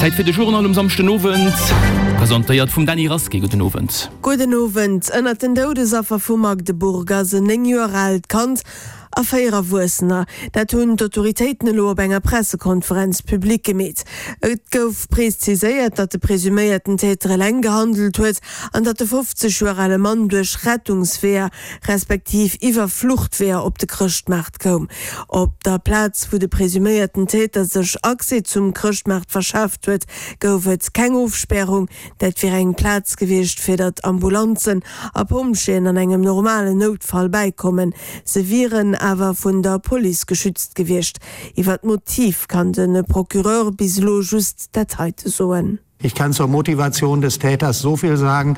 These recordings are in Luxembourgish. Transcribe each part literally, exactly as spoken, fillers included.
Zäit fir de Journal um Samschdenowend, presentéiert vum Dany Rasqué. Gudden Owend. Gudden Owend. Ënnert den Doudesaffer vu Magdeburg ass en néng Joer aalt Kand a véier Erwuessener. Dat hunn d'Autoritéiten elo op enger Pressekonferenz public gemeet. Et gouf preziséiert, datt de presuméierten Täter eleng gehandelt huet an datt de fofzeg Joer ale Mann duerch Rettungsweeër, respektiv iwwer Fluchtweeër op de Chrëschtmaart koum. Op der Plaz, wou de presuméierten Täter sech Accès zum Chrëschtmaart verschaaft huet, gouf et keng Ofspärung. Dat wier eng Plaz gewiescht, fir datt Ambulanzen a Pompjeeën an engem normalen Noutfall bäikommen. Se wieren awer vun der Police geschützt gewiescht. Iwwer d'Motiv kann de Procureur bis elo just dat heite soen. Ich kann zur Motivation des Täters so viel sagen,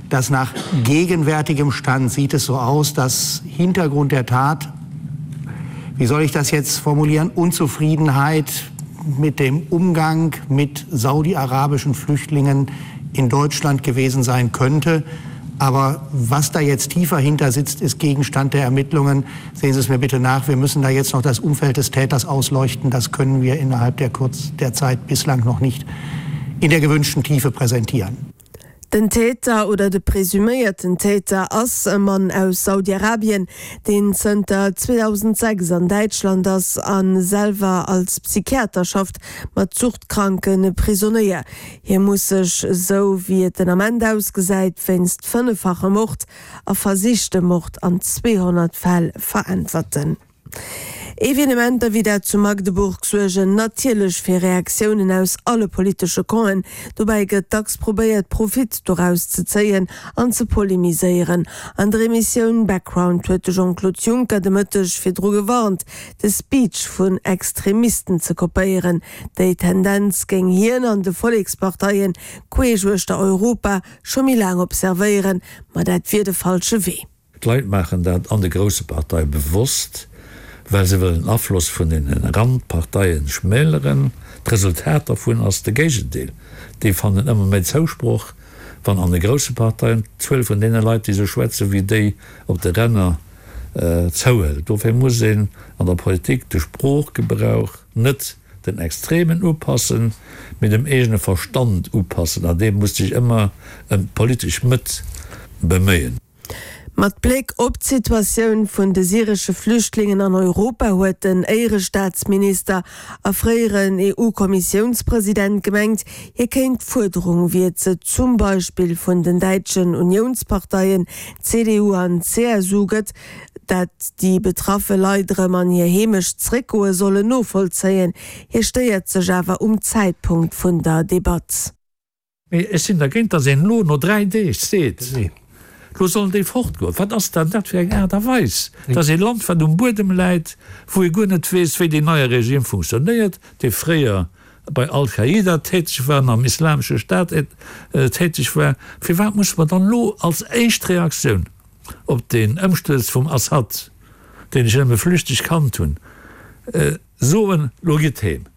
dass nach gegenwärtigem Stand sieht es so aus, dass Hintergrund der Tat, wie soll ich das jetzt formulieren, Unzufriedenheit mit dem Umgang mit saudi-arabischen Flüchtlingen in Deutschland gewesen sein könnte. Aber was da jetzt tiefer hinter sitzt, ist Gegenstand der Ermittlungen. Sehen Sie es mir bitte nach, wir müssen da jetzt noch das Umfeld des Täters ausleuchten. Das können wir innerhalb der Kurz der Zeit bislang noch nicht in der gewünschten Tiefe präsentieren. Den Täter oder de presuméierten Täter ass e Mann aus Saudi-Arabien, deen zënter zweedausendsechs an Däitschland ass a selwer als Psychiater schafft mat suchtkranke Prisonéier. Hie muss sech, esou wéi et den Ament ausgesäit, wéinst fënneffachem Mord a versichtem Mord an zweehonnert Fäll veräntwerten. Evenementer wéi dat zu Magdeburg suergen natierlech fir Reaktiounen aus alle politesche Campen. Dobäi gëtt dacks probéiert, Profit doraus ze zéien an ze polemiséieren. An der Emissioun Background huet de Jean-Claude Juncker de Mëtteg virdru gewarnt, de Speech vun Extremisten ze kopéieren. Déi Tendenz géing hien an de Volleksparteien queesch uechter Europa scho méi laang observéieren, ma dat wier de falsche Wee. D'Leit maachen dat an de grousse Parteie bewosst, well se wëllen den Afloss vun den Randparteien schmäleren. D'Resultat dervun ass de Géigendeel, déi fannen ëmmer méi Zousproch, wann an de grousse Parteien d'Zuel vun deene Leit, déi esou schwätze wéi déi op de Ränner, zouhëlt. Dofir muss een an der Politik de Sproochgebrauch net den Extremen upassen, mee dem eegene Verstand upassen, an dee muss sech ëmmer ëm d'politesch Mëtt beméien. Mat Bléck op d'Situatioun vun de syresche Flüchtlingen an Europa huet den Éierestaatsminister a fréieren E U-Kommissiounspresident gemengt, hie kéint d'Fuerderung, wéi et se zum Beispill vun den däitschen Uniounsparteien C D U an C S U gëtt, dat déi betraffe Leit erëm an hir Heemecht zréckgoe sollen, novollzéien. Hie stéiert sech awer um Zäitpunkt vun der Debatt. Mee ech sinn dergéint, datt een elo no dräi Deeg seet, elo sollen déi fortgoen. Wat ass dann dat fir eng Aart a Weis? Dat ass ee Land, wat um Buedem läit, wou ee guer net weess, wéi deen neie Regime funktionéiert, dee fréier bei Al-Qaida täteg war an am Islamesche Staat täteg war. Firwat musse mer dann elo als éischt Reaktioun op deen Ëmstuerz vum Assad, deen ech nëmme flüchteg kannt hunn, soen, elo gitt heem?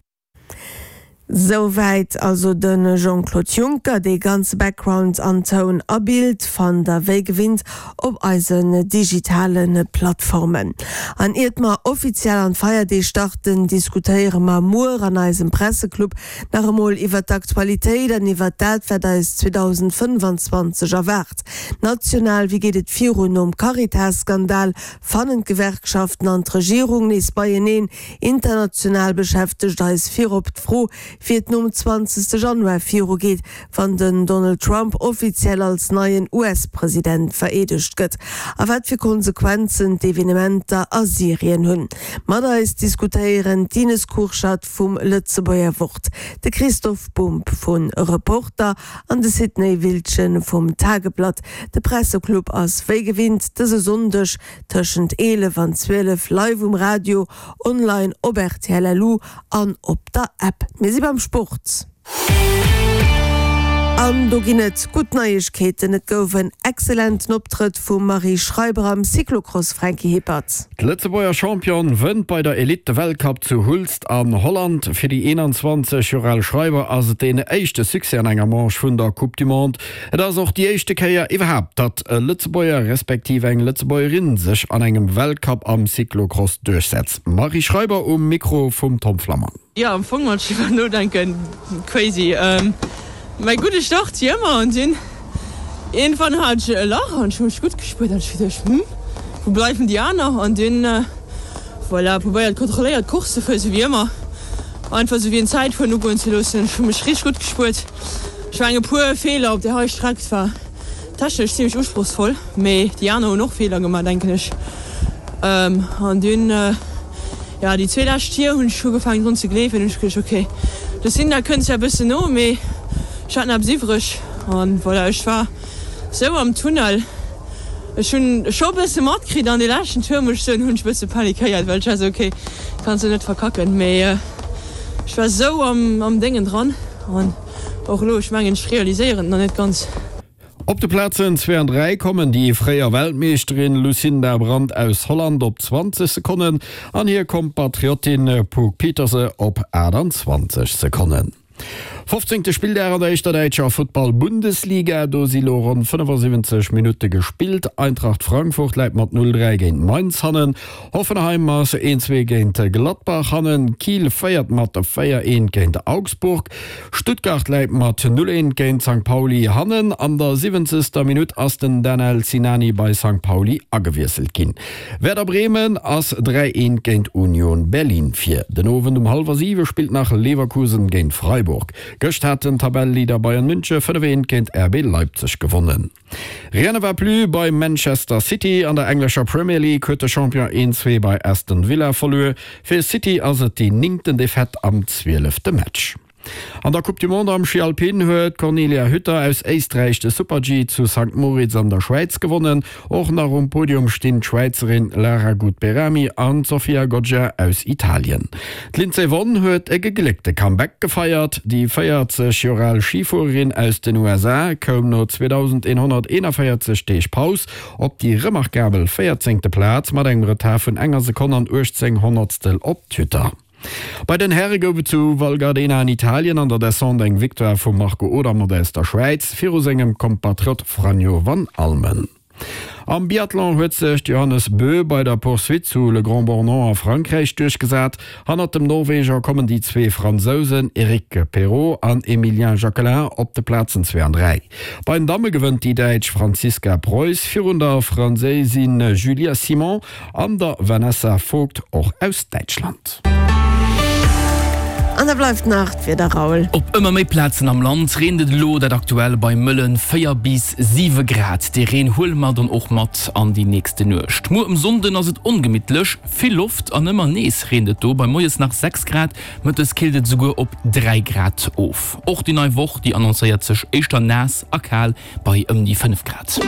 Souwäit also de Jean-Claude Juncker. Dee ganze Background an Toun a Bild fannt der wéi gewinnt op eisen digitale Plattformen. An iert mer offiziell an d'Feierdeeg starten, diskutéiere mer muer an eisem Presseclub nach emol iwwert d'Aktualitéit an iwwert dat, wat eis zweedausendfënnfanzwanzeg erwaart. National, wéi geet et virun nom Caritas-Skandal? Fannen d'Gewerkschaften an d'Regierung nees beieneen? International beschäftegt eis virop d'Fro, wéi et nom zwanzegste Januar virugeet, wann den Donald Trump offiziell als neien U S-President vereedegt gëtt, a wat fir Konsequenzen d'Evenementer a Syrien hunn. Mat eis diskutéieren d'Ines Kurschat vum Lëtzebuerger Wort, de Christoph Bumb vu Reporter an de Sidney Wiltgen vum Tageblatt. De Presseclub ass wéi gewinnt dëse Sonndeg tëschent eelef an zwielef live um Radio, online op R T L L U an op der App. Mir si beim Sport. An do ginn et gutt Neiegkeeten, Et gouf en excellenten Optrëtt vum Marie Schreiber am Cyclocross, Franky Hippert. D'Lëtzebuerger Championne wënnt bei der Elite de Weltcup zu Hulst an Holland. Fir déi eenanzwanzeg Joer al Schreiber ass et deen éischte Succès an enger Manche vun der Coupe du Monde. Et ass och déi éischte Kéier iwwerhaapt, datt e Lëtzebuerger respektiv eng Lëtzebuergerin sech an engem Weltcup am Cyclocross duerchsetzt. D'Marie Schreiber um Mikro vum Tom Flammang. Jo, am Fong wann ech driwwer nodenken, crazy. Mäi gudde Start wéi ëmmer an dunn iergendwann hat ech e Lach an ech hu mech gutt gespuert an ech hu geduecht, hm, wou bleiwen déi aner? An dunn, voilà, probéiert kontrolléiert d'Course ze fueren, sou wéi ëmmer, einfach sou wéi en Zäitfueren ugoen ze loossen. Ech hu mech richteg gutt gespuert. Ech mengen e puer Feeler op där hei Streck, et war technesch zimmlech usprochsvoll, mee déi aner hunn och Feeler gemaach, denken ech. An dunn, jo, déi zwee lescht Tier hunn ech ugefaangen drun ze gleewen, hunn ech geduecht, ok, de Sinda kënnt zwar e bëssen no, mee ech hat nach eppes iwwreg. An voilà, ech war sou am Tunnel, ech hunn scho e bësse matkritt an dee leschten Tour, muss ech soen, hunn ech e bësse panikéiert, well ech war sou, ok, kanns de net verkacken, mee ech war sou am Déngen dran an och elo, ech mengen, ech realiséieren et nach net ganz. Op de Plazen zwee an dräi kommen déi fréier Weltmeeschterin Lucinda Brand aus Holland op zwanzeg Sekonnen an hir Kompatriottin Puck Pieterse op aachtanzwanzeg Sekonnen. Fofzéngte Spilldag an der éischter däitscher Futtball-Bundesliga, do si lo ronn fënnefasiwwenzeg Minutte gespillt. Eintracht Frankfurt läit mat null dräi géint Mainz hannen, Hoffenheim ass een zwee géint Gladbach hannen, Kiel féiert mat véier eent géint Augsburg, Stuttgart läit mat null eent géint Sankt Pauli hannen. An der siwwenzegster Minutt ass den Danel Sinani bei Sankt Pauli agewiesselt ginn. Werder Bremen ass dräi eent géint Union Berlin vir. Den Owend um hallwer siwe spillt nach Leverkusen géint Freiburg. Gëscht hat den Tabelleleader Bayern Münche fënnef eent géint R B Leipzig gewonnen. Rien ne va plus bei Manchester City. An der englescher Premier League huet de Champion een zwee bei Aston Villa verluer. Fir City ass et déi néngten Defaite am zwielefte Match. An der Coupe du Monde am Schi Alpin huet d'Cornelia Hütter aus Éisträich de Super-G zu Sankt Moritz an der Schwäiz gewonnen. Och nach um Podium stinn d'Schwäizerin Lara Gut-Behrami an d'Sofia Goggia aus Italien. D'Lindsey Vonn huet e gegléckte Comeback gefeiert. Déi véierzeg Joer al Schifuererin aus den U S A koum no zweedausendeenhonnerteenavéierzeg Deeg Paus op déi remarkabel véierzéngte Plaz mat engem Retard vun enger Sekonn an uechtzéng Honnertstel op d'Hütter. Bei den Häre gouf et zu Val Gardena an Italien an der Descente eng Victoire vum Marco Odermatt aus der Schwäiz viru sengem Kompatriot Franjo van Allmen. Am Biathlon huet sech d'Johannes Bö bei der Poursuite zu Le Grand-Bornand a Frankräich duerchgesat. Hannert dem Norweger kommen déi zwee Fransousen Eric Perrot an Emilien Jacquelin op de Plazen zwee an dräi. Bei den Damme gewënnt déi Däitsch Franziska Preuss virun der Franséisin Julia Simon an der Vanessa Vogt och aus Däitschland. An da bleift nach d'Wieder, Raoul. Op ëmmer méi Plazen am Land reent et elo, dat aktuell bei mëllen véier bis siwe Grad. Dee Reen huele mer dann och mat an déi nächste Nuecht. Muer um Sonnden ass et ongemittlech, vill Loft an ëmmer nees reent et do. Bei moies nach sechs Grad, mëttes killt et esouguer op dräi Grad of. Och déi nei Woch, déi annoncéiert sech éischter naass a kal bei ëm déi fënnef Grad.